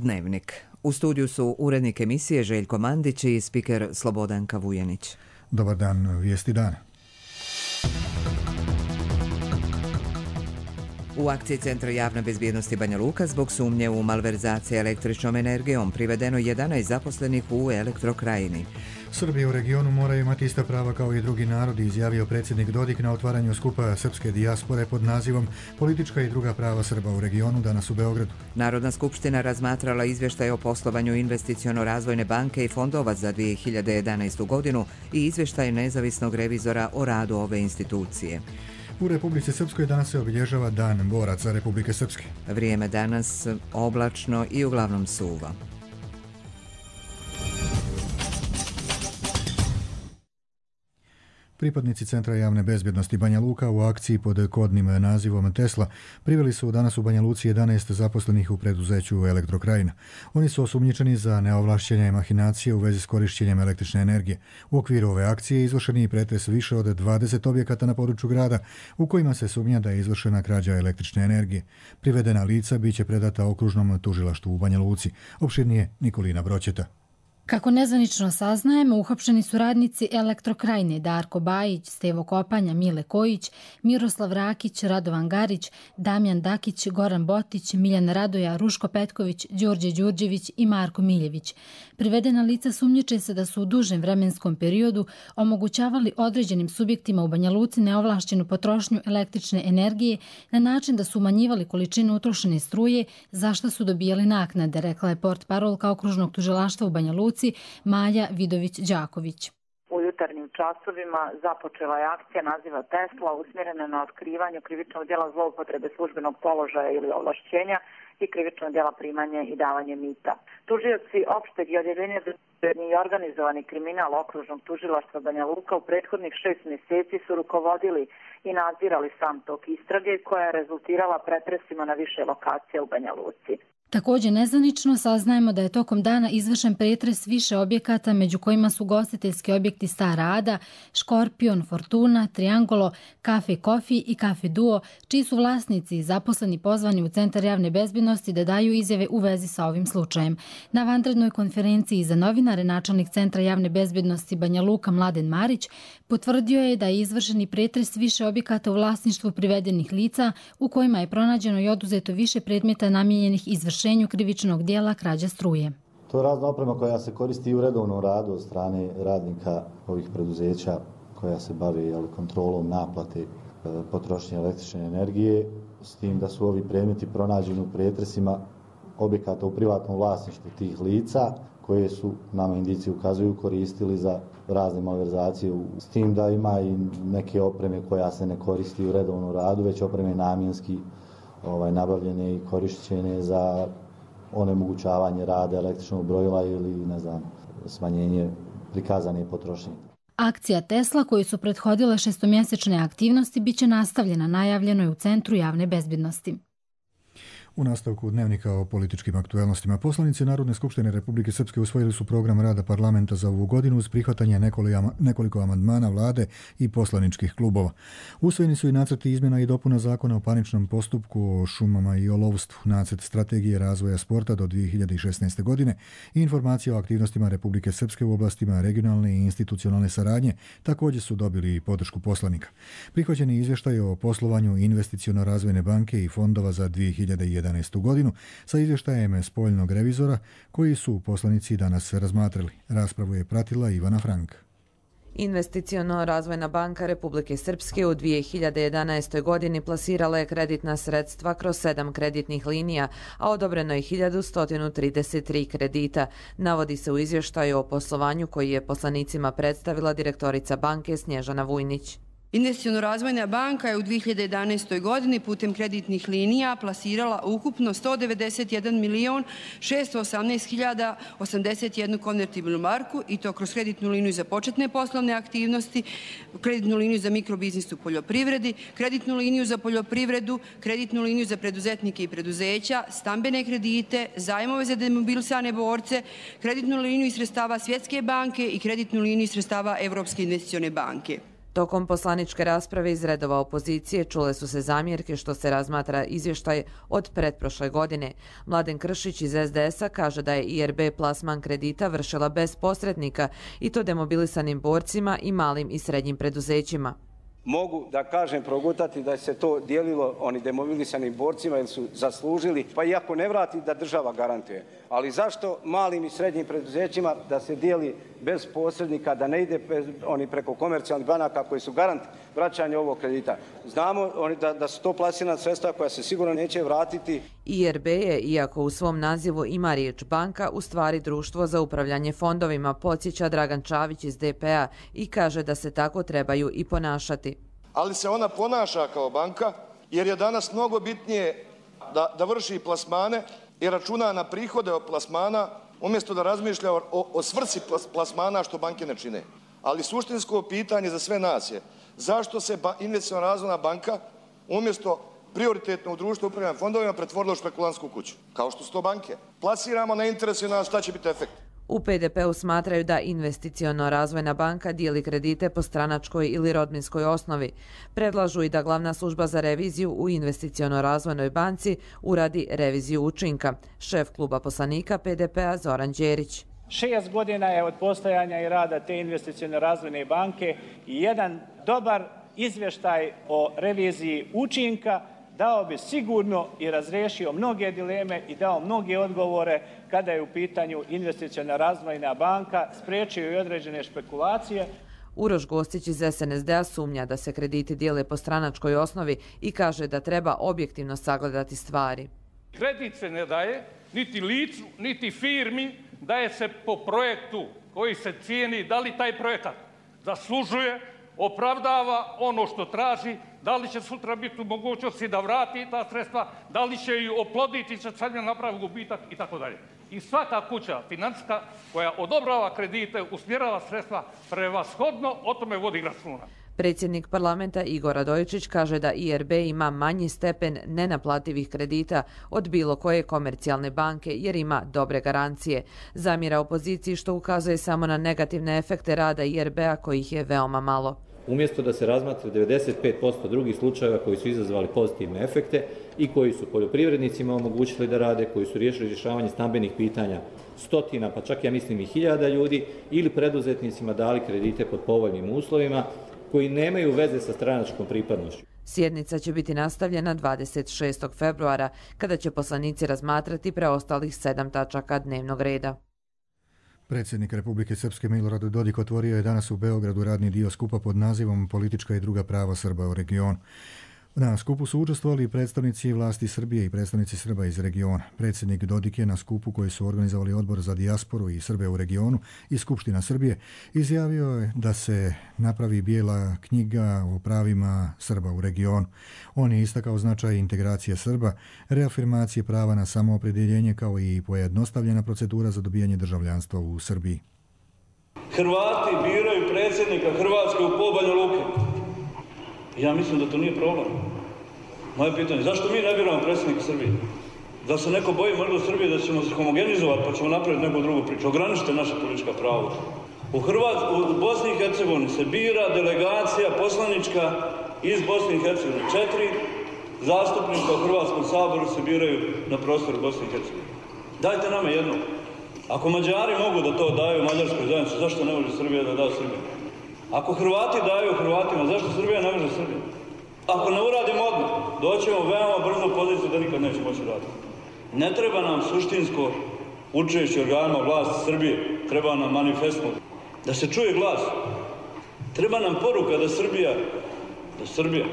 Dnevnik. U studiju su urednik emisije Željko Mandić i spiker Slobodanka Vujanić. Dobar dan, vijesti dana. U akciji Centra javne bezbjednosti Banja Luka zbog sumnje u malverzacije električnom energijom privedeno 11 zaposlenih u Elektrokrajini. Srbi u regionu moraju imati ista prava kao i drugi narodi, izjavio predsjednik Dodik na otvaranju skupa srpske dijaspore pod nazivom Politička i druga prava Srba u regionu danas u Beogradu. Narodna skupština razmatrala izvještaj o poslovanju Investiciono-razvojne banke i fondova za 2011. godinu i izvještaj nezavisnog revizora o radu ove institucije. U Republici Srpskoj danas se obilježava Dan boraca Republike Srpske. Vrijeme danas oblačno i uglavnom suvo. Pripadnici Centra javne bezbjednosti Banja Luka u akciji pod kodnim nazivom Tesla priveli su danas u Banja Luci 11 zaposlenih u preduzeću Elektrokrajina. Oni su osumnjičeni za neovlašćenje i mahinacije u vezi s korišćenjem električne energije. U okviru ove akcije izvršen je pretres više od 20 objekata na području grada u kojima se sumnja da je izvršena krađa električne energije. Privedena lica biće predata okružnom tužilaštvu u Banja Luci. Opširnije Nikolina Broćeta. Kako nezvanično saznajemo, uhapšeni su radnici Elektrokrajine Darko Bajić, Stevo Kopanja, Mile Kojić, Miroslav Rakić, Radovan Garić, Damjan Dakić, Goran Botić, Miljan Radoja, Ruško Petković, Đorđe Đurđević i Marko Miljević. Privedena lica sumnjiče se da su u dužem vremenskom periodu omogućavali određenim subjektima u Banja Luci neovlašćenu potrošnju električne energije na način da su umanjivali količinu utrošene struje, za što su dobijali naknade, rekla je portparolka okružnog tužilaštva u Banja Luci Maja Vidović-Đaković. U jutarnjim časovima započela je akcija naziva Tesla usmjerena na otkrivanje krivičnog djela zloupotrebe službenog položaja ili ovlašćenja i krivičnog djela primanja i davanje mita. Tužioci opšteg i odjeljenja i organizovani kriminal okružnog tužilaštva Banja Luka u prethodnih 6 mjeseci su rukovodili i nadzirali sam tok istrage koja je rezultirala pretresima na više lokacija u Banja Luci. Također nezvanično saznajemo da je tokom dana izvršen pretres više objekata, među kojima su ugostiteljski objekti Stara Ada, Škorpion, Fortuna, Triangolo, Kafe Kofi i Kafe Duo, čiji su vlasnici i zaposleni pozvani u Centar javne bezbjednosti da daju izjave u vezi sa ovim slučajem. Na vanrednoj konferenciji za novinare načelnik Centra javne bezbjednosti Banja Luka Mladen Marić potvrdio je da je izvršeni pretres više objekata u vlasništvu privedenih lica u kojima je pronađeno i oduzeto više predmeta namijenjenih izvršenju krivičnog dijela krađa struje. To je razna oprema koja se koristi u redovnom radu od strane radnika ovih preduzeća koja se bave kontrolom naplate potrošnje električne energije, s tim da su ovi predmeti pronađeni u pretresima objekata u privatnom vlasništvu tih lica koje su, nama indici ukazuju, koristili za razne malverzacije, s tim da ima i neke opreme koja se ne koristi u redovnom radu, već opreme namjenski nabavljene i korišćene za onemogućavanje rada električnog brojila ili smanjenje prikazane potrošnje. Akcija Tesla, koju su prethodile šestomjesečne aktivnosti, biće nastavljena, najavljeno je u Centru javne bezbjednosti. U nastavku dnevnika o političkim aktuelnostima poslanici Narodne skupštine Republike Srpske usvojili su program rada parlamenta za ovu godinu uz prihvatanje nekoliko amandmana vlade i poslaničkih klubova. Usvojeni su i nacrti izmjena i dopuna zakona o parničnom postupku, o šumama i o lovstvu, nacrt strategije razvoja sporta do 2016. godine i informacije o aktivnostima Republike Srpske u oblastima regionalne i institucionalne saradnje također su dobili podršku poslanika. Prihvaćeni izvještaj o poslovanju Investiciono-razvojne banke i fondova za 2011. godinu sa izvještajem spoljnog revizora koji su poslanici danas razmatrali. Raspravu je pratila Ivana Frank. Investiciono-razvojna banka Republike Srpske u 2011. godini plasirala je kreditna sredstva kroz 7 kreditnih linija, a odobreno je 1133 kredita. Navodi se u izvještaju o poslovanju koji je poslanicima predstavila direktorica banke Snježana Vujnić. Investiciono-razvojna banka je u 2011. godini putem kreditnih linija plasirala ukupno 191.618.081 konvertibilnu marku i to kroz kreditnu liniju za početne poslovne aktivnosti, kreditnu liniju za mikrobiznis u poljoprivredi, kreditnu liniju za poljoprivredu, kreditnu liniju za preduzetnike i preduzeća, stambene kredite, zajmove za demobilisane borce, kreditnu liniju iz sredstava Svjetske banke i kreditnu liniju iz sredstava Evropske investicione banke. Tokom poslaničke rasprave iz redova opozicije čule su se zamjerke što se razmatra izvještaj od pretprošle godine. Mladen Kršić iz SDS-a kaže da je IRB plasman kredita vršila bez posrednika i to demobilisanim borcima i malim i srednjim preduzećima. Mogu da kažem progutati da se to dijelilo oni demobilisanim borcima jer su zaslužili, pa iako ne vrati da država garantuje. Ali zašto malim i srednjim preduzećima da se dijeli bez posrednika, da ne ide oni preko komercijalnih banaka koji su garant vraćanja ovog kredita? Znamo da su to plasirana sredstva koja se sigurno neće vratiti. IRB je, iako u svom nazivu ima riječ banka, u stvari društvo za upravljanje fondovima, podsjeća Dragan Čavić iz DP-a i kaže da se tako trebaju i ponašati. Ali se ona ponaša kao banka jer je danas mnogo bitnije da vrši plasmane i računa na prihode od plasmana umjesto da razmišlja o svrsi plasmana što banke ne čine. Ali suštinsko pitanje za sve nas je zašto se Investiciona razvojna banka umjesto prioritetno u društvu upravljanja fondovima pretvorila u špekulantsku kuću, kao što su to banke. Plasiramo na interes i na šta će biti efekt. U PDP-u smatraju da Investiciono razvojna banka dijeli kredite po stranačkoj ili rodbinskoj osnovi. Predlažu i da glavna služba za reviziju u Investiciono razvojnoj banci uradi reviziju učinka. Šef kluba poslanika PDP-a Zoran Đerić. 6 godina je od postojanja i rada te Investiciono razvojne banke i jedan dobar izvještaj o reviziji učinka dao bi sigurno i razriješio mnoge dileme i dao mnoge odgovore kada je u pitanju Investiciona razvojna banka, spriječio i određene špekulacije. Uroš Gostić iz SNSD-a sumnja da se krediti dijele po stranačkoj osnovi i kaže da treba objektivno sagledati stvari. Kredit se ne daje niti licu, niti firmi, daje se po projektu koji se cijeni, da li taj projekat zaslužuje, opravdava ono što traži, da li će sutra biti u mogućnosti da vrati ta sredstva, da li će ju oploditi, će sad napravi gubitak i tako dalje. I svaka kuća financijska koja odobrava kredite, usmjerava sredstva prevashodno o tome vodi računa. Predsjednik parlamenta Igor Radojičić kaže da IRB ima manji stepen nenaplativih kredita od bilo koje komercijalne banke jer ima dobre garancije. Zamjera opoziciji što ukazuje samo na negativne efekte rada IRB-a kojih je veoma malo. Umjesto da se razmatra 95% drugih slučajeva koji su izazvali pozitivne efekte i koji su poljoprivrednicima omogućili da rade, koji su riješili rješavanje stambenih pitanja stotina, pa čak ja mislim i hiljada ljudi, ili preduzetnicima dali kredite pod povoljnim uslovima, koji nemaju veze sa stranačkom pripadnošću. Sjednica će biti nastavljena 26. februara, kada će poslanici razmatrati preostalih 7 tačaka dnevnog reda. Predsjednik Republike Srpske Milorad Dodik otvorio je danas u Beogradu radni dio skupa pod nazivom Politička i druga prava Srba u regionu. Na skupu su učestvovali predstavnici vlasti Srbije i predstavnici Srba iz regiona. Predsjednik Dodik je na skupu koji su organizovali Odbor za dijasporu i Srbe u regionu i Skupština Srbije izjavio je da se napravi bijela knjiga o pravima Srba u regionu. On je istakao značaj integracije Srba, reafirmacije prava na samoopredjeljenje kao i pojednostavljena procedura za dobijanje državljanstva u Srbiji. Hrvati biraju predsjednika Hrvatske u Banja Luke. Ja mislim da to nije problem. Moje pitanje, zašto mi ne biramo predsjednika Srbije? Da se neko boji možda u Srbiji da ćemo se homogenizovati pa ćemo napraviti neku drugu priču. Ograničite naša politička prava. U Bosni i Hercegovini se bira delegacija poslanička iz Bosne i Hercegovine. 4 zastupnika u Hrvatskom saboru se biraju na prostoru Bosne i Hercegovine. Dajte nama jedno. Ako Mađari mogu da to daju Mađarskoj zajednici, zašto ne može Srbija da da Srbiji? Ako Hrvati daju Hrvatima, zašto Srbija ne može Srbija? Ako ne uradimo odmah, doćemo veoma brzo u poziciju da nikad neće moći raditi. Ne treba nam suštinsko učešće organima vlasti Srbije, treba nam manifestno, da se čuje glas. Treba nam poruka da Srbija,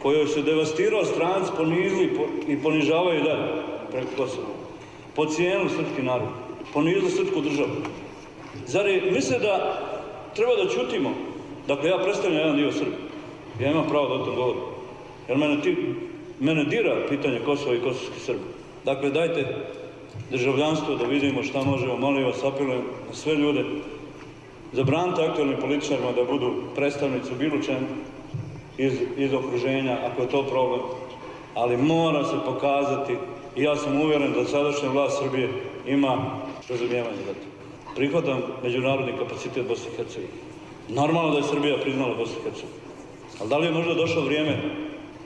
kojoj se devastirao stranci, ponizili i ponižavaju dalje preko Kosova, podcijenili srpski narod, ponizili srpsku državu. Zar misle da treba da ćutimo? Dakle, ja predstavljam jedan dio Srbije. Ja imam pravo da o tom govorim. Jer mene dira pitanje Kosova i kosovskih Srba. Dakle, dajte državljanstvo da vidimo šta možemo. Molim vas, apelujem na sve ljude. Zabranite aktualnim političarima da budu predstavnici u bilo čemu iz okruženja, ako je to problem. Ali mora se pokazati, i ja sam uvjeren da sadašnja vlast Srbije ima razumijevanje za to. Prihvatam međunarodni kapacitet Bosne i Hercegovine. Normalno da je Srbija priznala Bosnu i Hercegovinu. Ali da li je možda došlo vrijeme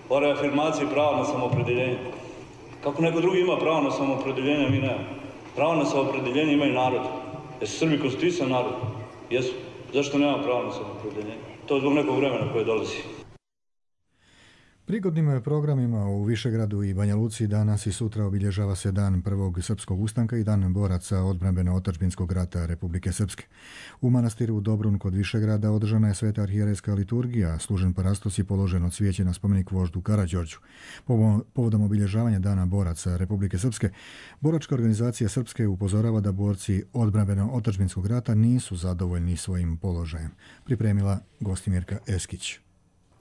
o reafirmaciji prava na samoopredjeljenje? Kako neko drugi ima pravo na samoopredjeljenje, mi nemamo. Pravo na samoopredjeljenje imaju narod. Jesu Srbi konstituisan narod? Jesu. Zašto nema pravo na samoopredjeljenje? To je zbog nekog vremena koje dolazi. Prigodnim programima u Višegradu i Banja Luci danas i sutra obilježava se Dan prvog srpskog ustanka i Dan boraca odbrambeno-otadžbinskog rata Republike Srpske. U manastiru Dobrun kod Višegrada održana je sveta arhijerejska liturgija, služen parastos i položeno cvijeće na spomenik voždu Karađorđu. Povodom obilježavanja Dana boraca Republike Srpske, boračka organizacija Srpske upozorava da borci odbrambeno-otadžbinskog rata nisu zadovoljni svojim položajem. Pripremila Gostimirka Eskić.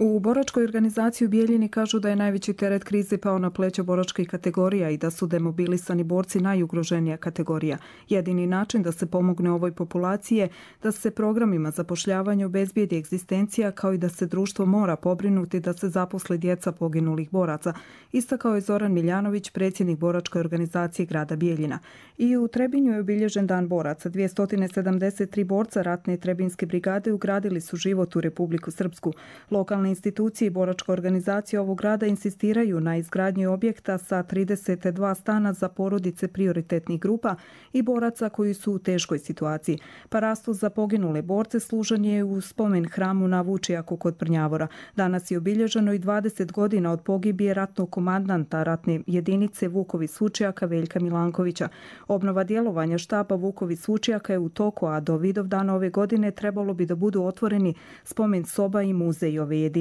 U boračkoj organizaciji u Bijeljini kažu da je najveći teret krize pao na pleća boračkih kategorija i da su demobilisani borci najugroženija kategorija. Jedini način da se pomogne ovoj populaciji je da se programima zapošljavanja obezbijedi egzistencija, kao i da se društvo mora pobrinuti da se zaposle djeca poginulih boraca, istakao je Zoran Miljanović, predsjednik boračke organizacije grada Bijeljina. I u Trebinju je obilježen Dan boraca. 273 borca ratne Trebinske brigade ugradili su život u Republiku Srpsku. Lokalne institucije i boračka organizacija ovog grada insistiraju na izgradnji objekta sa 32 stana za porodice prioritetnih grupa i boraca koji su u teškoj situaciji. Parastos za poginule borce služen je u spomen hramu na Vučijaku kod Prnjavora. Danas je obilježeno i 20 godina od pogibije ratnog komandanta ratne jedinice Vuković Vučijaka Veljka Milankovića. Obnova djelovanja štaba Vuković Vučijaka je u toku, a do Vidovdana ove godine trebalo bi da budu otvoreni spomen soba i muzej ove jedinice.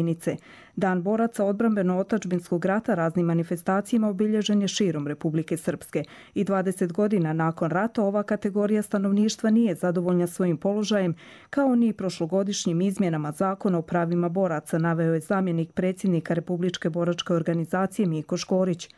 Dan boraca odbrambeno-otadžbinskog rata raznim manifestacijama obilježen je širom Republike Srpske. I 20 godina nakon rata ova kategorija stanovništva nije zadovoljna svojim položajem, kao ni prošlogodišnjim izmjenama zakona o pravima boraca, naveo je zamjenik predsjednika Republičke boračke organizacije Miko Škorić.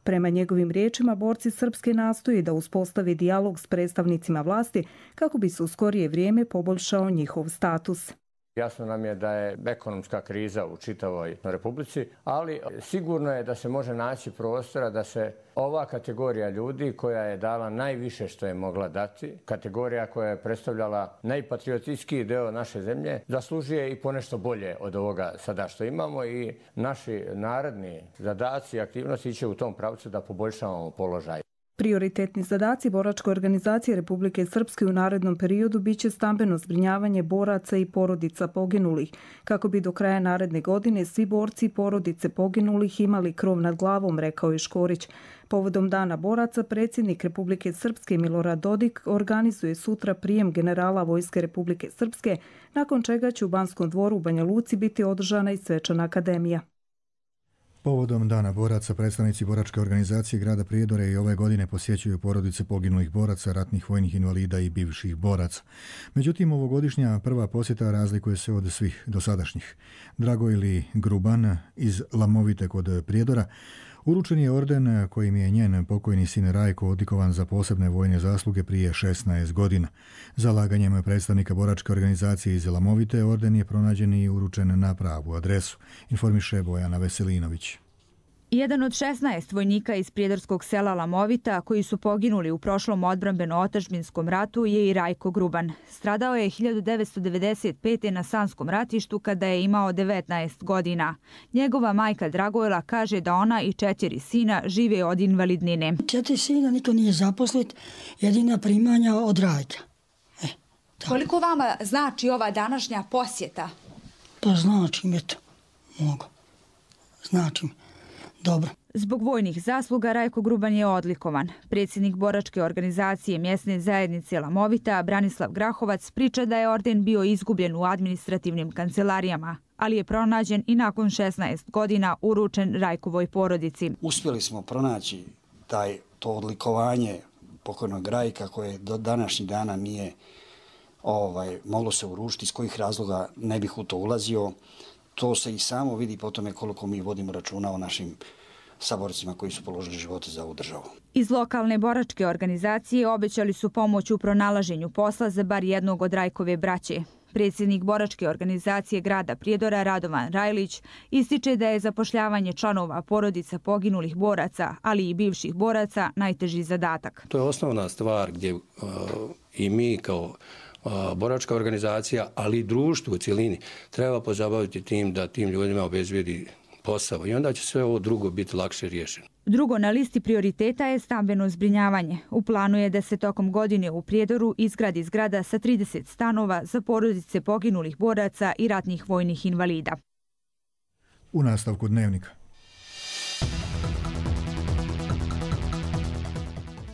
Prema njegovim riječima, borci Srpske nastoje da uspostave dijalog s predstavnicima vlasti kako bi se u skorije vrijeme poboljšao njihov status. Jasno nam je da je ekonomska kriza u čitavoj Republici, ali sigurno je da se može naći prostora da se ova kategorija ljudi koja je dala najviše što je mogla dati, kategorija koja je predstavljala najpatriotskiji deo naše zemlje, zaslužuje i ponešto bolje od ovoga sada što imamo i naši naredni zadaci i aktivnosti će u tom pravcu da poboljšavamo položaj. Prioritetni zadaci boračke organizacije Republike Srpske u narednom periodu biće stambeno zbrinjavanje boraca i porodica poginulih, kako bi do kraja naredne godine svi borci i porodice poginulih imali krov nad glavom, rekao je Škorić. Povodom Dana boraca, predsjednik Republike Srpske Milorad Dodik organizuje sutra prijem generala Vojske Republike Srpske, nakon čega će u Banskom dvoru u Banja Luci biti održana i svečana akademija. Povodom Dana boraca, predstavnici boračke organizacije grada Prijedore i ove godine posjećuju porodice poginulih boraca, ratnih vojnih invalida i bivših boraca. Međutim, ovogodišnja prva posjeta razlikuje se od svih dosadašnjih. Dragojli Gruban iz Lamovite kod Prijedora uručen je orden kojim je njen pokojni sin Rajko odlikovan za posebne vojne zasluge prije 16 godina. Zalaganjem predstavnika boračke organizacije iz Lamovite orden je pronađen i uručen na pravu adresu, informiše Bojana Veselinović. Jedan od 16 vojnika iz prijedorskog sela Lamovita koji su poginuli u prošlom odbrambeno-otadžbinskom ratu je i Rajko Gruban. Stradao je 1995. na Sanskom ratištu kada je imao 19 godina. Njegova majka Dragojla kaže da ona i 4 sina žive od invalidnine. 4 sina niko nije zaposlit, jedina primanja od Rajka. Koliko vama znači ova današnja posjeta? Pa znači mi to, mogu. Znači mi. Dobro. Zbog vojnih zasluga Rajko Gruban je odlikovan. Predsjednik boračke organizacije mjesne zajednice Lamovita, Branislav Grahovac, priča da je orden bio izgubljen u administrativnim kancelarijama, ali je pronađen i nakon 16 godina uručen Rajkovoj porodici. Uspjeli smo pronaći to odlikovanje pokojnog Rajka koje do današnjih dana nije moglo se uručiti, iz kojih razloga ne bih u to ulazio. To se i samo vidi po tome koliko mi vodimo računa o našim saborcima koji su položili živote za ovu državu. Iz lokalne boračke organizacije obećali su pomoć u pronalaženju posla za bar jednog od Rajkove braće. Predsjednik boračke organizacije grada Prijedora Radovan Rajlić ističe da je zapošljavanje članova porodica poginulih boraca, ali i bivših boraca najteži zadatak. To je osnovna stvar gdje i mi kao boračka organizacija, ali i društvo u cjelini treba pozabaviti tim da tim ljudima obezbijedi posao i onda će sve ovo drugo biti lakše riješeno. Drugo na listi prioriteta je stambeno zbrinjavanje. U planu je da se tokom godine u Prijedoru izgradi zgrada sa 30 stanova za porodice poginulih boraca i ratnih vojnih invalida. U nastavku dnevnika.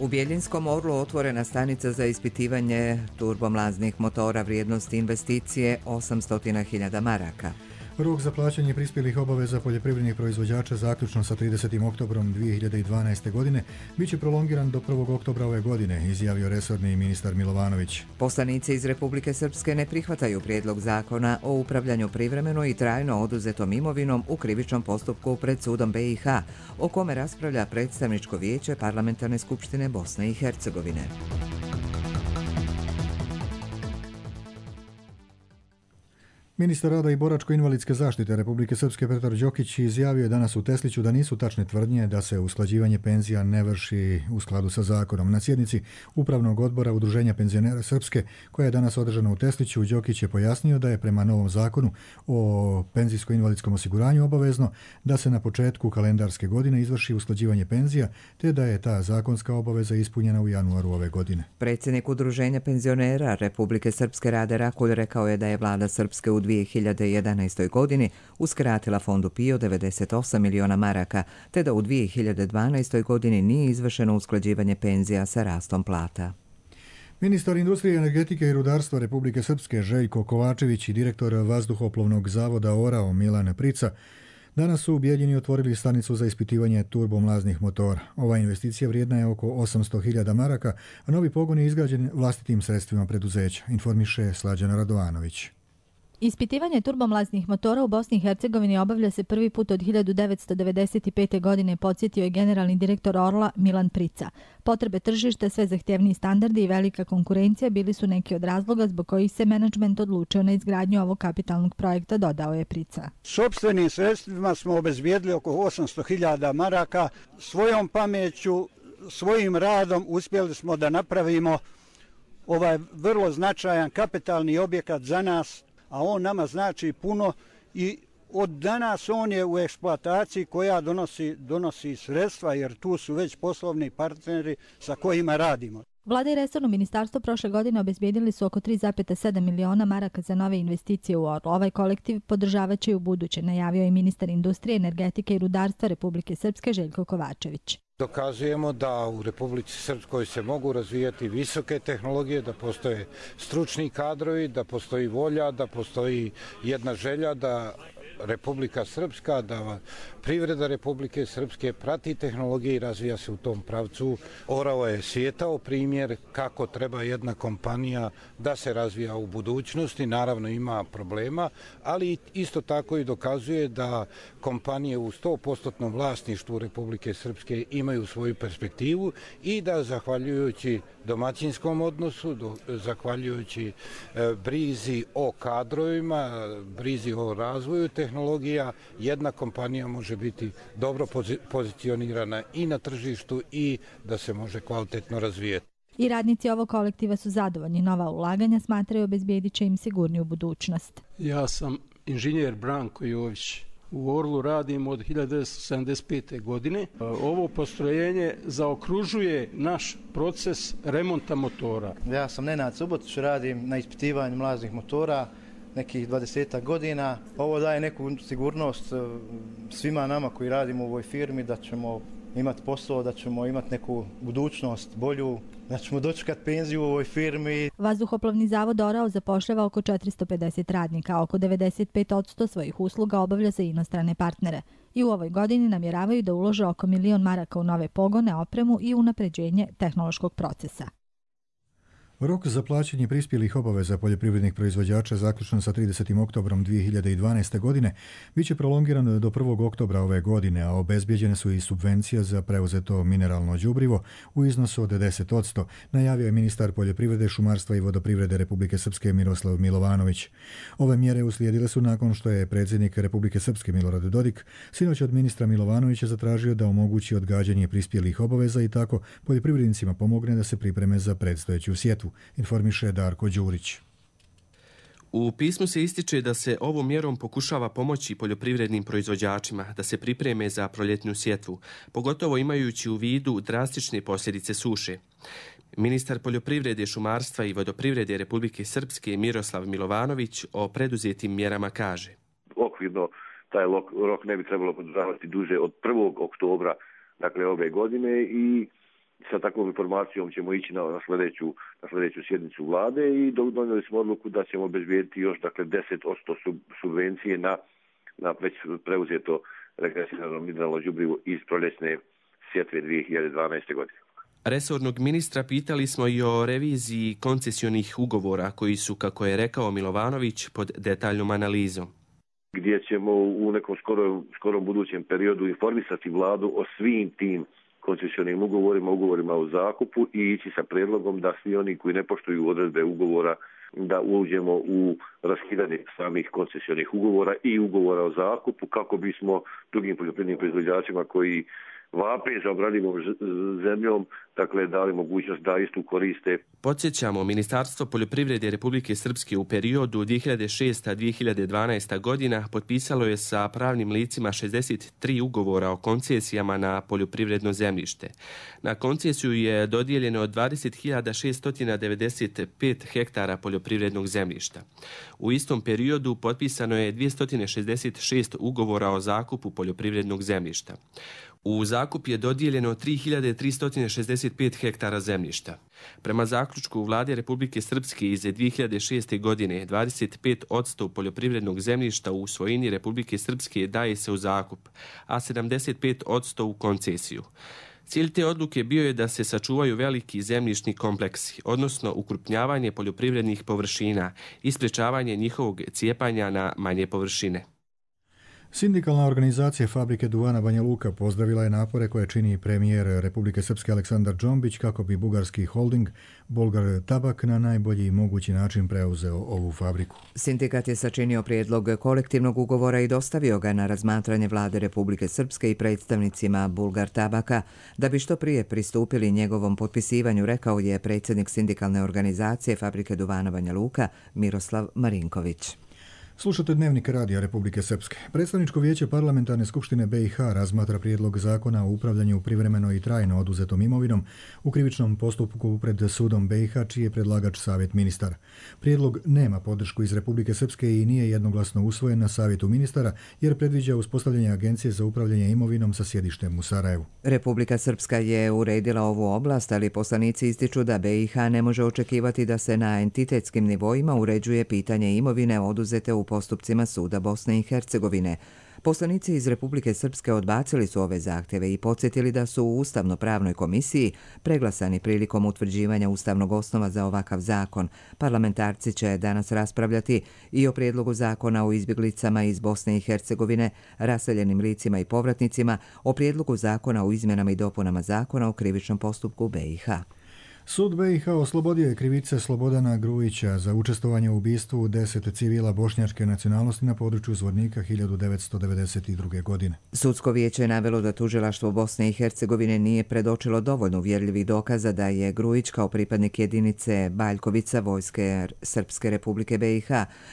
U Bjeljinskom Orlu otvorena stanica za ispitivanje turbomlaznih motora vrijednosti investicije 800.000 maraka. Rok za plaćanje prispjelih obaveza poljoprivrednih proizvođača zaključno sa 30. oktobrom 2012. godine bit će prolongiran do 1. oktobra ove godine, izjavio resorni ministar Milovanović. Poslanici iz Republike Srpske ne prihvataju prijedlog zakona o upravljanju privremeno i trajno oduzetom imovinom u krivičnom postupku pred sudom BiH, o kome raspravlja predstavničko vijeće Parlamentarne skupštine Bosne i Hercegovine. Ministar rada i boračko-invalidske zaštite Republike Srpske Petar Đokić izjavio je danas u Tesliću da nisu tačne tvrdnje da se usklađivanje penzija ne vrši u skladu sa zakonom. Na sjednici Upravnog odbora Udruženja penzionera Srpske, koja je danas održana u Tesliću, Đokić je pojasnio da je prema novom zakonu o penzijsko-invalidskom osiguranju obavezno da se na početku kalendarske godine izvrši usklađivanje penzija, te da je ta zakonska obaveza ispunjena u januaru ove godine. Predsjednik Udruženja penzionera Republike Srpske Rade Rakulj rekao je da je vlada Srpske u 2011. godini uskratila fondu PIO 98 miliona maraka, te da u 2012. godini nije izvršeno usklađivanje penzija sa rastom plata. Ministar industrije, energetike i rudarstva Republike Srpske Željko Kovačević i direktor vazduhoplovnog zavoda ORAO Milan Prica danas su u Bijeljini otvorili stanicu za ispitivanje turbomlaznih motora. Ova investicija vrijedna je oko 800.000 maraka, a novi pogon je izgrađen vlastitim sredstvima preduzeća, informiše Slađana Radovanović. Ispitivanje turbomlaznih motora u Bosni i Hercegovini obavlja se prvi put od 1995. godine, podsjetio je generalni direktor Orla Milan Prica. Potrebe tržišta, sve zahtjevniji standardi i velika konkurencija bili su neki od razloga zbog kojih se menadžment odlučio na izgradnju ovog kapitalnog projekta, dodao je Prica. Sopstvenim sredstvima smo obezbijedili oko 800.000 maraka. Svojom pameću, svojim radom uspjeli smo da napravimo ovaj vrlo značajan kapitalni objekat za nas, a on nama znači puno i od danas on je u eksploataciji koja donosi sredstva, jer tu su već poslovni partneri sa kojima radimo. Vlada i resorno ministarstvo prošle godine obezbijedili su oko 3,7 miliona maraka za nove investicije u Orlu. Ovaj kolektiv podržavaće i u buduće, najavio je ministar industrije, energetike i rudarstva Republike Srpske Željko Kovačević. Dokazujemo da u Republici Srpskoj se mogu razvijati visoke tehnologije, da postoje stručni kadrovi, da postoji volja, da postoji jedna želja da Republika Srpska, da privreda Republike Srpske prati tehnologije i razvija se u tom pravcu. ORAO je svijetao primjer kako treba jedna kompanija da se razvija u budućnosti. Naravno ima problema, ali isto tako i dokazuje da kompanije u 100% vlasništvu Republike Srpske imaju svoju perspektivu i da zahvaljujući domaćinskom odnosu, zahvaljujući brizi o kadrovima, brizi o razvoju tehnologija, jedna kompanija može biti dobro pozicionirana i na tržištu i da se može kvalitetno razvijeti. I radnici ovog kolektiva su zadovoljni. Nova ulaganja smatraju obezbijedit će im sigurniju budućnost. Ja sam inženjer Branko Jović. U Orlu radim od 1975. godine. Ovo postrojenje zaokružuje naš proces remonta motora. Ja sam Nenad Subotić, radim na ispitivanju mlaznih motora nekih 20 godina. Ovo daje neku sigurnost svima nama koji radimo u ovoj firmi da ćemo imati posao, da ćemo imati neku budućnost bolju, da ćemo dočekati penziju u ovoj firmi. Vazduhoplovni zavod ORAO zapošljava oko 450 radnika, a oko 95% svojih usluga obavlja za inostrane partnere. I u ovoj godini namjeravaju da ulože oko 1 milion maraka u nove pogone, opremu i unapređenje tehnološkog procesa. Rok za plaćanje prispjelih obaveza poljoprivrednih proizvođača zaključno sa 30. oktobrom 2012. godine bit će prolongiran do 1. oktobra ove godine, a obezbijeđene su i subvencije za preuzeto mineralno đubrivo u iznosu od 10%, najavio je ministar poljoprivrede, šumarstva i vodoprivrede Republike Srpske Miroslav Milovanović. Ove mjere uslijedile su nakon što je predsjednik Republike Srpske Milorad Dodik sinoć od ministra Milovanovića zatražio da omogući odgađanje prispjelih obaveza i tako poljoprivrednicima pomogne da se pripreme za predstojeću sjetvu. informiše Darko Đurić. U pismu se ističe da se ovom mjerom pokušava pomoći poljoprivrednim proizvođačima da se pripreme za proljetnu sjetvu, pogotovo imajući u vidu drastične posljedice suše. Ministar poljoprivrede, šumarstva i vodoprivrede Republike Srpske Miroslav Milovanović o preduzetim mjerama kaže: Okvirno taj rok ne bi trebalo podržavati duže od 1. oktobra dakle ove godine i sa takvom informacijom ćemo ići na sljedeću sjednicu vlade i donijeli smo odluku da ćemo obezbijediti još dakle 10% subvencije na već preuzeto regresirano mineralno đubrivo iz proljetne sjetve 2012. godine. Resornog ministra pitali smo i o reviziji koncesionih ugovora koji su, kako je rekao Milovanović, pod detaljnom analizom. Gdje ćemo u nekom skorom budućem periodu informisati vladu o svim tim koncesionim ugovorima o zakupu i ići sa prijedlogom da svi oni koji ne poštuju odredbe ugovora da uđemo u raskidanje samih koncesionih ugovora i ugovora o zakupu kako bismo drugim poljoprivrednim proizvođačima koji vape za obradljivom zemljom, dakle dali mogućnost da istu koriste. Podsjećamo, Ministarstvo poljoprivrede Republike Srpske u periodu 2006-2012 godina potpisalo je sa pravnim licima 63 ugovora o koncesijama na poljoprivredno zemljište. Na koncesiju je dodijeljeno 20.695 hektara poljoprivrednog zemljišta. U istom periodu potpisano je 266 ugovora o zakupu poljoprivrednog zemljišta. U zakup je dodijeljeno 3.365 hektara zemljišta. Prema zaključku Vlade Republike Srpske iz 2006. godine, 25% poljoprivrednog zemljišta u svojini Republike Srpske daje se u zakup, a 75% u koncesiju. Cilj te odluke bio je da se sačuvaju veliki zemljišni kompleksi, odnosno ukrupnjavanje poljoprivrednih površina i sprečavanje njihovog cijepanja na manje površine. Sindikalna organizacija Fabrike duvana Banja Luka pozdravila je napore koje čini premijer Republike Srpske Aleksandar Džombić kako bi bugarski holding Bolgar Tabak na najbolji mogući način preuzeo ovu fabriku. Sindikat je sačinio prijedlog kolektivnog ugovora i dostavio ga na razmatranje Vlade Republike Srpske i predstavnicima Bulgar Tabaka da bi što prije pristupili njegovom potpisivanju, rekao je predsjednik sindikalne organizacije Fabrike duvana Banja Luka Miroslav Marinković. Slušate Dnevnik radija Republike Srpske. Predstavničko vijeće Parlamentarne skupštine BiH razmatra prijedlog zakona o upravljanju privremeno i trajno oduzetom imovinom u krivičnom postupku pred sudom BiH, čiji je predlagač Savjet ministara. Prijedlog nema podršku iz Republike Srpske i nije jednoglasno usvojen na Savjetu ministara jer predviđa uspostavljanje agencije za upravljanje imovinom sa sjedištem u Sarajevu. Republika Srpska je uredila ovu oblast, ali poslanici ističu da BiH ne može očekivati da se na entitetskim nivoima uređuje pitanje imovine oduzete u postupcima suda Bosne i Hercegovine. Poslanici iz Republike Srpske odbacili su ove zahtjeve i podsjetili da su u Ustavno-pravnoj komisiji preglasani prilikom utvrđivanja ustavnog osnova za ovakav zakon. Parlamentarci će danas raspravljati i o prijedlogu zakona o izbjeglicama iz Bosne i Hercegovine, raseljenim licima i povratnicima, o prijedlogu zakona o izmjenama i dopunama zakona o krivičnom postupku BiH. Sud BiH oslobodio je krivice Slobodana Grujića za učestvovanje u ubistvu 10 civila bošnjačke nacionalnosti na području Zvornika 1992. godine. Sudsko vijeće je navelo da tužilaštvo Bosne i Hercegovine nije predočilo dovoljno uvjerljivih dokaza da je Grujić kao pripadnik jedinice Baljkovica Vojske Srpske Republike BiH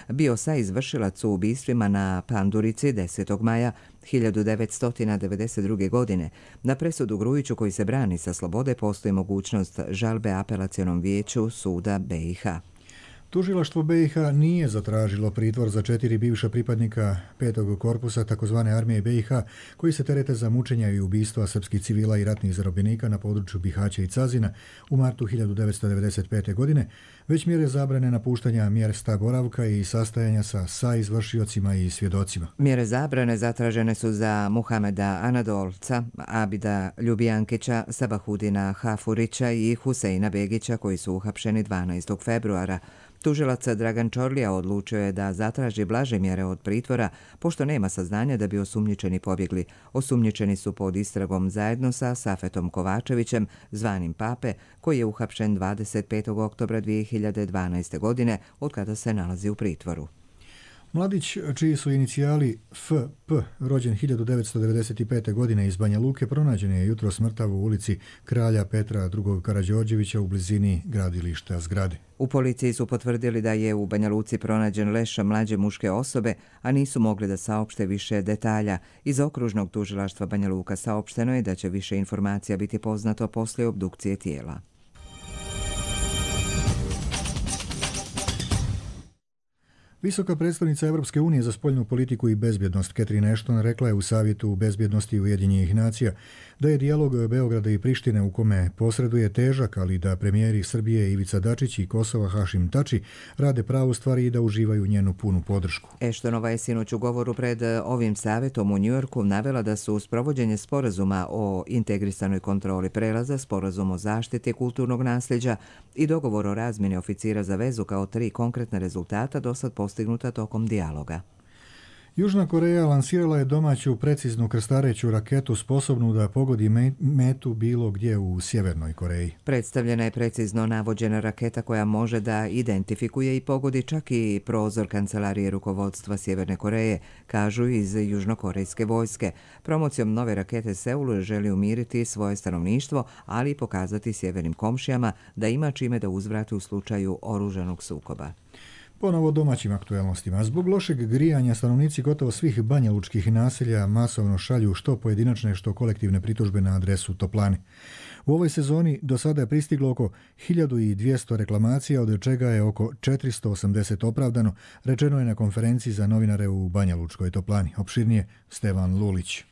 bio saizvršilac u ubistvima na Pandurici 10. maja 1992. godine. Na presudu Grujiću koji se brani sa slobode postoji mogućnost žalbe apelacionom vijeću suda BiH. Tužilaštvo BiH nije zatražilo pritvor za 4 bivša pripadnika 5. korpusa tzv. Armije BiH koji se terete za mučenja i ubistva srpskih civila i ratnih zarobljenika na području Bihaća i Cazina u martu 1995. godine, već mjere zabrane napuštanja mjesta boravka i sastajanja sa izvršiocima i svjedocima. Mjere zabrane zatražene su za Muhameda Anadolca, Abida Ljubijankića, Sabahudina Hafurića i Huseina Begića koji su uhapšeni 12. februara. Tužilac Dragan Čorlija odlučio je da zatraži blaže mjere od pritvora, pošto nema saznanja da bi osumnjičeni pobjegli. Osumnjičeni su pod istragom zajedno sa Safetom Kovačevićem, zvanim Pape, koji je uhapšen 25. oktobra 2012. godine, od kada se nalazi u pritvoru. Mladić, čiji su inicijali FP, rođen 1995. godine iz Banja Luke, pronađen je jutros mrtav u ulici Kralja Petra II. Karađorđevića u blizini gradilišta zgrade. U policiji su potvrdili da je u Banja Luci pronađen leš mlađe muške osobe, a nisu mogli da saopšte više detalja. Iz okružnog tužilaštva Banja Luka saopšteno je da će više informacija biti poznato poslije obdukcije tijela. Visoka predstavnica Evropske unije za spoljnu politiku i bezbjednost Catherine Ashton rekla je u Savjetu bezbjednosti Ujedinjenih nacija da je dijalog Beograda i Prištine u kome posreduje težak, ali da premijeri Srbije Ivica Dačić i Kosova Hašim Tači rade pravu stvar i da uživaju njenu punu podršku. Ashtonova je sinoć u govoru pred ovim savjetom u Njujorku navela da su uz provođenje sporazuma o integrisanoj kontroli prelaza, sporazum o zaštiti kulturnog nasljeđa i dogovor o razmjeni oficira za vezu kao 3 konkretna rezultata dosad postignuta tokom dijaloga. Južna Koreja lansirala je domaću preciznu krstareću raketu sposobnu da pogodi metu bilo gdje u Sjevernoj Koreji. Predstavljena je precizno navođena raketa koja može da identifikuje i pogodi čak i prozor kancelarije rukovodstva Sjeverne Koreje, kažu iz južnokorejske vojske. Promocijom nove rakete Seul želi umiriti svoje stanovništvo, ali i pokazati sjevernim komšijama da ima čime da uzvrati u slučaju oružanog sukoba. Ponovo domaćim aktuelnostima. Zbog lošeg grijanja stanovnici gotovo svih banjalučkih naselja masovno šalju što pojedinačne, što kolektivne pritužbe na adresu toplane. U ovoj sezoni do sada je pristiglo oko 1200 reklamacija, od čega je oko 480 opravdano, rečeno je na konferenciji za novinare u Banjalučkoj toplani. Opširnije Stevan Lulić.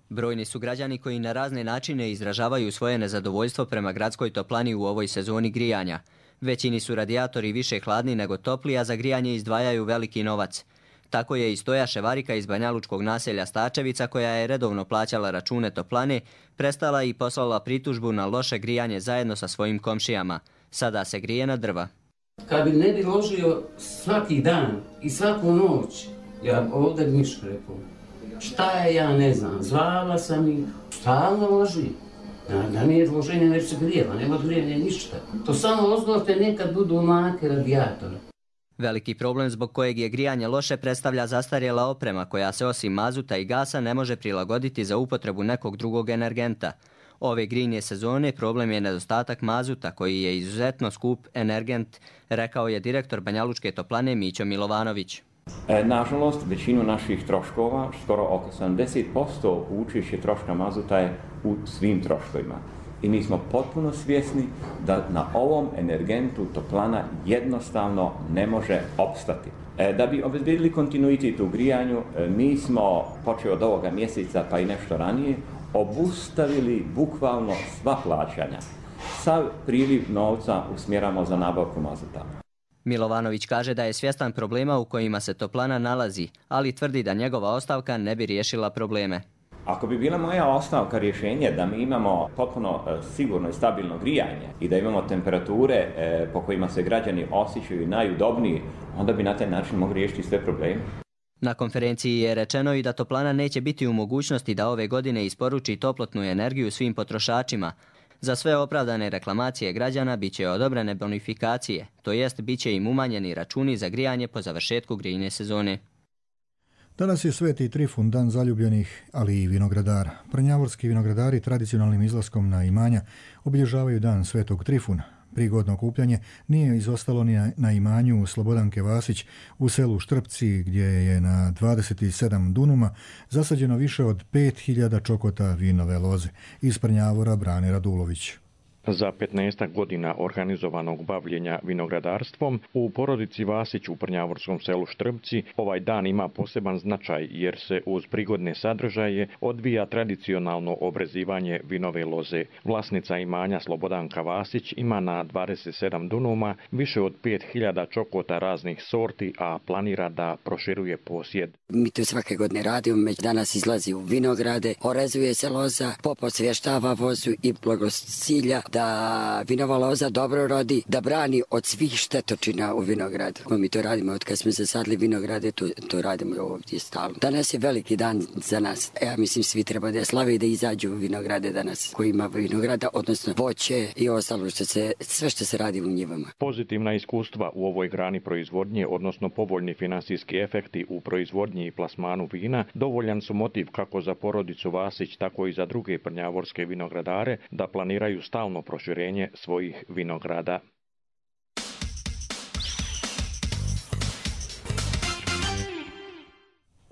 Brojni su građani koji na razne načine izražavaju svoje nezadovoljstvo prema gradskoj toplani u ovoj sezoni grijanja. Većini su radijatori više hladni nego topli, a za grijanje izdvajaju veliki novac. Tako je i Stoja Ševarika iz banjalučkog naselja Stačevica, koja je redovno plaćala račune toplane, prestala i poslala pritužbu na loše grijanje zajedno sa svojim komšijama. Sada se grije na drva. Kad bi ne bi ložio svaki dan i svaku noć, ja ovdje bi Miško rekao, šta je, ja ne znam, zvala sam ih, stalno loži. Da nije loženje ne bi se grijela, nema grijanja ništa. To samo oznote nekad budu make radijatora. Veliki problem zbog kojeg je grijanje loše predstavlja zastarjela oprema koja se osim mazuta i gasa ne može prilagoditi za upotrebu nekog drugog energenta. Ove grijne sezone problem je nedostatak mazuta koji je izuzetno skup energent, rekao je direktor Banjalučke toplane Mićo Milovanović. Nažalost, većinu naših troškova, skoro oko 70% učešće troška mazuta je u svim troškovima. I mi smo potpuno svjesni da na ovom energentu toplana jednostavno ne može opstati. Da bi obezbedili kontinuitet u grijanju, mi smo, počeo od ovoga mjeseca pa i nešto ranije, obustavili bukvalno sva plaćanja. Sav priliv novca usmjeramo za nabavku mazuta. Milovanović kaže da je svjestan problema u kojima se toplana nalazi, ali tvrdi da njegova ostavka ne bi riješila probleme. Ako bi bila moja ostavka rješenje da mi imamo potpuno sigurno i stabilno grijanje i da imamo temperature po kojima se građani osjećaju najudobniji, onda bi na taj način mogli riješiti sve probleme. Na konferenciji je rečeno i da toplana neće biti u mogućnosti da ove godine isporuči toplotnu energiju svim potrošačima. Za sve opravdane reklamacije građana biće odobrene bonifikacije, to jest biće im umanjeni računi za grijanje po završetku grijne sezone. Danas je Sveti Trifun, dan zaljubljenih, ali i vinogradara. Prnjavorski vinogradari tradicionalnim izlaskom na imanja obilježavaju dan Svetog Trifuna. Prigodno okupljanje nije izostalo ni na imanju Slobodanke Vasić u selu Štrpci, gdje je na 27 dunuma zasađeno više od 5000 čokota vinove loze. Iz Prnjavora Brane Radulović. Za 15 godina organizovanog bavljenja vinogradarstvom u porodici Vasić u prnjavorskom selu Štrpci ovaj dan ima poseban značaj jer se uz prigodne sadržaje odvija tradicionalno obrezivanje vinove loze. Vlasnica imanja Slobodanka Vasić ima na 27 dunuma više od 5000 čokota raznih sorti, a planira da proširuje posjed. Mi to svake godine radimo, danas izlazi u vinograde, orezuje se loza, popo svještava vozu i blagocilja da vinova loza dobro rodi, da brani od svih štetočina u vinogradu. Mi to radimo od kad smo zasadili vinograde, to radimo ovdje stalno. Danas je veliki dan za nas. Ja mislim svi treba da slave i da izađu u vinograde danas koji ima vinograda, odnosno voće i ostalo sve što se radi u njivama. Pozitivna iskustva u ovoj grani proizvodnje, odnosno povoljni finansijski efekti u proizvodnji i plasmanu vina, dovoljan su motiv kako za porodicu Vasić, tako i za druge prnjavorske vinogradare da planiraju stalno proširenje svojih vinograda.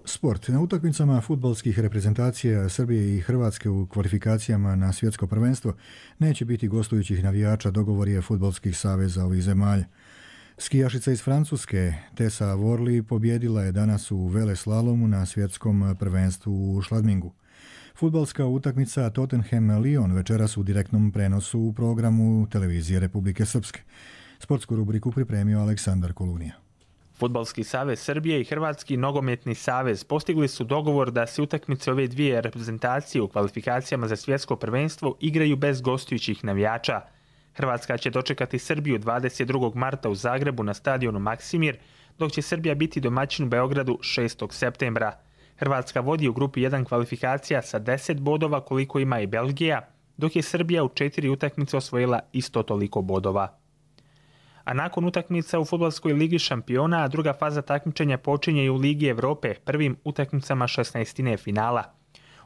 Sport. Na utakmicama fudbalskih reprezentacija Srbije i Hrvatske u kvalifikacijama na svjetsko prvenstvo neće biti gostujućih navijača, dogovor je fudbalskih saveza ovih zemalja. Skijašica iz Francuske Tessa Worley pobjedila je danas u veleslalomu na svjetskom prvenstvu u Schladmingu. Fudbalska utakmica Tottenham-Lyon večeras u direktnom prenosu u programu televizije Republike Srpske. Sportsku rubriku pripremio Aleksandar Kolunija. Fudbalski savez Srbije i Hrvatski nogometni savez postigli su dogovor da se utakmice ove dvije reprezentacije u kvalifikacijama za svjetsko prvenstvo igraju bez gostujućih navijača. Hrvatska će dočekati Srbiju 22. marta u Zagrebu na stadionu Maksimir, dok će Srbija biti domaćin u Beogradu 6. septembra. Hrvatska vodi u grupi 1 kvalifikacija sa 10 bodova koliko ima i Belgija, dok je Srbija u 4 utakmice osvojila isto toliko bodova. A nakon utakmica u Fudbalskoj ligi šampiona, druga faza takmičenja počinje i u Ligi Evrope, prvim utakmicama 16. finala.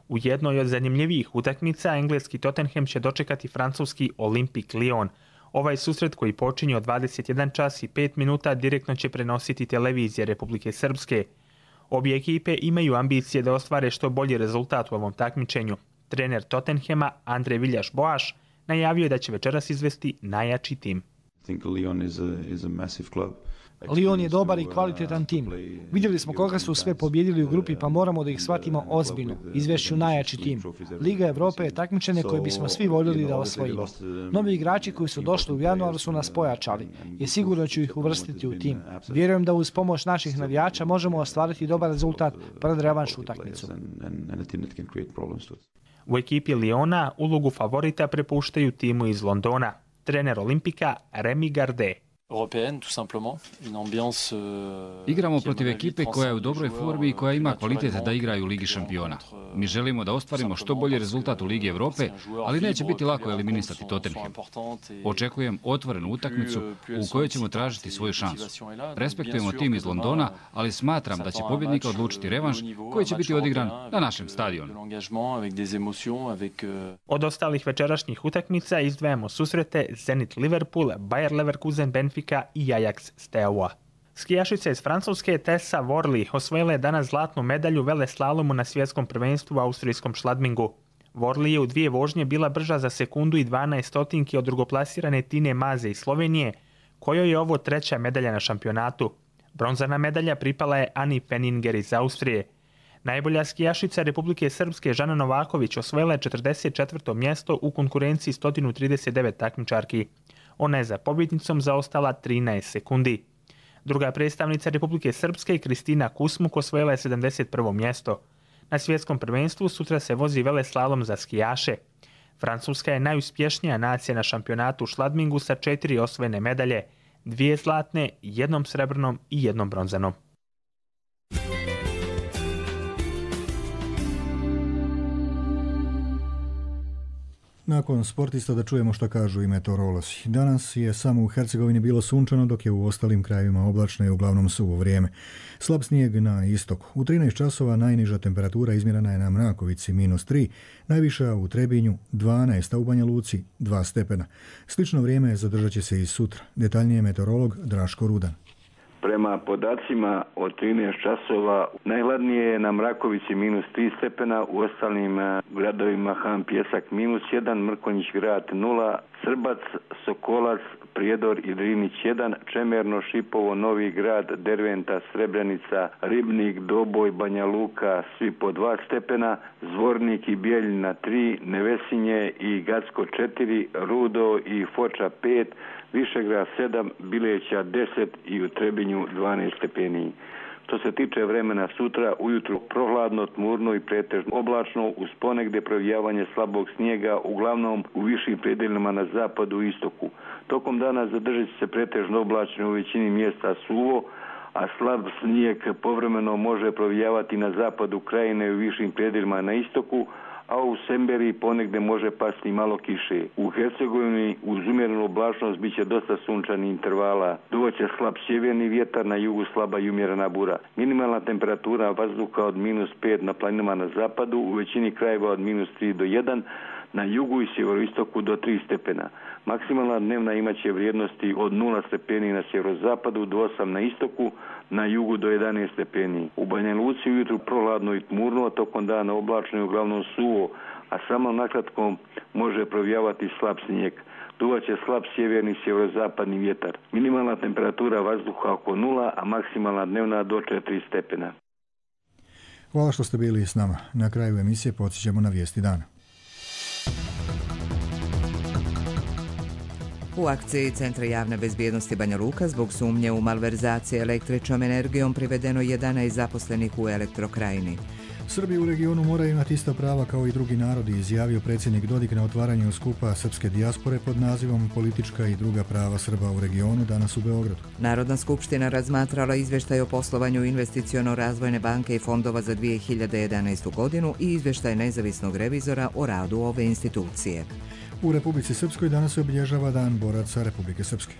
U jednoj od zanimljivijih utakmica engleski Tottenham će dočekati francuski Olympique Lyon. Ovaj susret koji počinje od 21 čas i 5 minuta direktno će prenositi televizija Republike Srpske. Obje ekipe imaju ambicije da ostvare što bolji rezultat u ovom takmičenju. Trener Tottenhama Andre Villas-Boas najavio je da će večeras izvesti najjači tim. Lyon je dobar i kvalitetan tim. Vidjeli smo koga su sve pobjedili u grupi, pa moramo da ih shvatimo ozbiljno. Izvešću najjači tim. Liga Evrope je takmičenje koje bismo svi voljeli da osvojimo. Novi igrači koji su došli u januaru su nas pojačali i sigurno ću ih uvrstiti u tim. Vjerujem da uz pomoć naših navijača možemo ostvariti dobar rezultat pred revanš utakmicu. U ekipi Lyona ulogu favorita prepuštaju timu iz Londona. Trener Olimpika Rémi Gardet. Igramo protiv ekipe koja je u dobroj formi i koja ima kvalitet da igraju u Ligi šampiona. Mi želimo da ostvarimo što bolji rezultat u Ligi Evrope, ali neće biti lako eliminisati Tottenham. Očekujem otvorenu utakmicu u kojoj ćemo tražiti svoju šansu. Respektujemo tim iz Londona, ali smatram da će pobjednika odlučiti revanš koji će biti odigran na našem stadionu. Od ostalih večerašnjih utakmica izdvajamo susrete Zenit Liverpool, Bayer Leverkusen Benfica i Ajax Steaua. Skijašica iz Francuske Tessa Worley osvojila je danas zlatnu medalju veleslalomu na svjetskom prvenstvu u austrijskom Schladmingu. Worley je u 2 vožnje bila brža za sekundu i 12 stotinki od drugoplasirane Tine Maze iz Slovenije, kojoj je ovo 3. medalja na šampionatu. Bronzana medalja pripala je Ani Peninger iz Austrije. Najbolja skijašica Republike Srpske Žana Novaković osvojila je 44. mjesto u konkurenciji 139 takmičarki. Ona je za pobjednicom zaostala 13 sekundi. Druga predstavnica Republike Srpske Kristina Kusmuk osvojila je 71. mjesto. Na svjetskom prvenstvu sutra se vozi veleslalom za skijaše. Francuska je najuspješnija nacija na šampionatu u Schladmingu sa 4 osvojene medalje, 2 zlatne, 1 srebrnom i 1 bronzanom. Nakon sportista da čujemo što kažu i meteorolozi. Danas je samo u Hercegovini bilo sunčano, dok je u ostalim krajevima oblačno i uglavnom suvo vrijeme. Slab snijeg na istoku. U 13 časova najniža temperatura izmjerena je na Mrakovici -3, najviša u Trebinju 12, a u Banja Luci 2 stepena. Slično vrijeme zadržat će se i sutra. Detaljnije meteorolog Draško Rudan. Prema podacima od 13 časova najhladnije je na Mrakovici -3 stepena, u ostalim gradovima Han Pjesak -1, Mrkonjić grad 0, Srbac, Sokolac, Prijedor i Drinić 1, Čemerno, Šipovo, Novi grad, Derventa, Srebrenica, Ribnik, Doboj, Banja Luka, svi po 2 stepena, Zvornik i Bijeljina 3, Nevesinje i Gacko 4, Rudo i Foča 5, Višegrad 7, Bileća 10 i u Trebinju 12 stepeni. Što se tiče vremena sutra, ujutru prohladno, tmurno i pretežno oblačno, uz ponegde provijavanje slabog snijega, uglavnom u višim predeljima na zapadu i istoku. Tokom dana zadržat će se pretežno oblačno u većini mjesta suvo, a slab snijeg povremeno može provijavati na zapadu krajine i u višim predeljima na istoku, a u Semberiji ponegde može pasti malo kiše. U Hercegovini uz umjerenu oblačnost bit će dosta sunčanih intervala. Duvaće slab sjeverni vjetar, na jugu slaba i umjerena bura. Minimalna temperatura vazduha od -5 na planinama na zapadu, u većini krajeva od -3 do 1, na jugu i sjeveroistoku do 3 stepena. Maksimalna dnevna imaće vrijednosti od 0 stepeni na sjeverozapadu do 8 na istoku, na jugu do 11 stepeni. U Banja Luci ujutru prohladno i tmurno, a tokom dana oblačno i uglavnom suvo, a samo nakratko može provijavati slab snijeg. Duvaće slab sjeverni sjeverozapadni vjetar. Minimalna temperatura vazduha oko 0, a maksimalna dnevna do 4 stepena. Hvala što ste bili s nama. Na kraju emisije podsjećamo na vijesti dana. U akciji Centra javne bezbjednosti Banja Luka zbog sumnje u malverzacije električnom energijom privedeno 11 zaposlenih u Elektrokrajini. Srbi u regionu moraju imati ista prava kao i drugi narodi, izjavio predsjednik Dodik na otvaranju skupa srpske dijaspore pod nazivom Politička i druga prava Srba u regionu danas u Beogradu. Narodna skupština razmatrala izvještaj o poslovanju Investiciono-razvojne banke i fondova za 2011. godinu i izvještaj nezavisnog revizora o radu ove institucije. U Republici Srpskoj danas se obilježava Dan boraca Republike Srpske.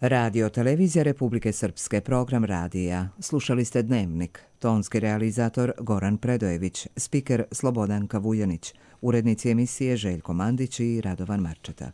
Radio televizija Republike Srpske, program radija. Slušali ste Dnevnik. Tonski realizator Goran Predojević, spiker Slobodanka Vuljanić, urednici emisije Željko Mandić i Radovan Marčeta.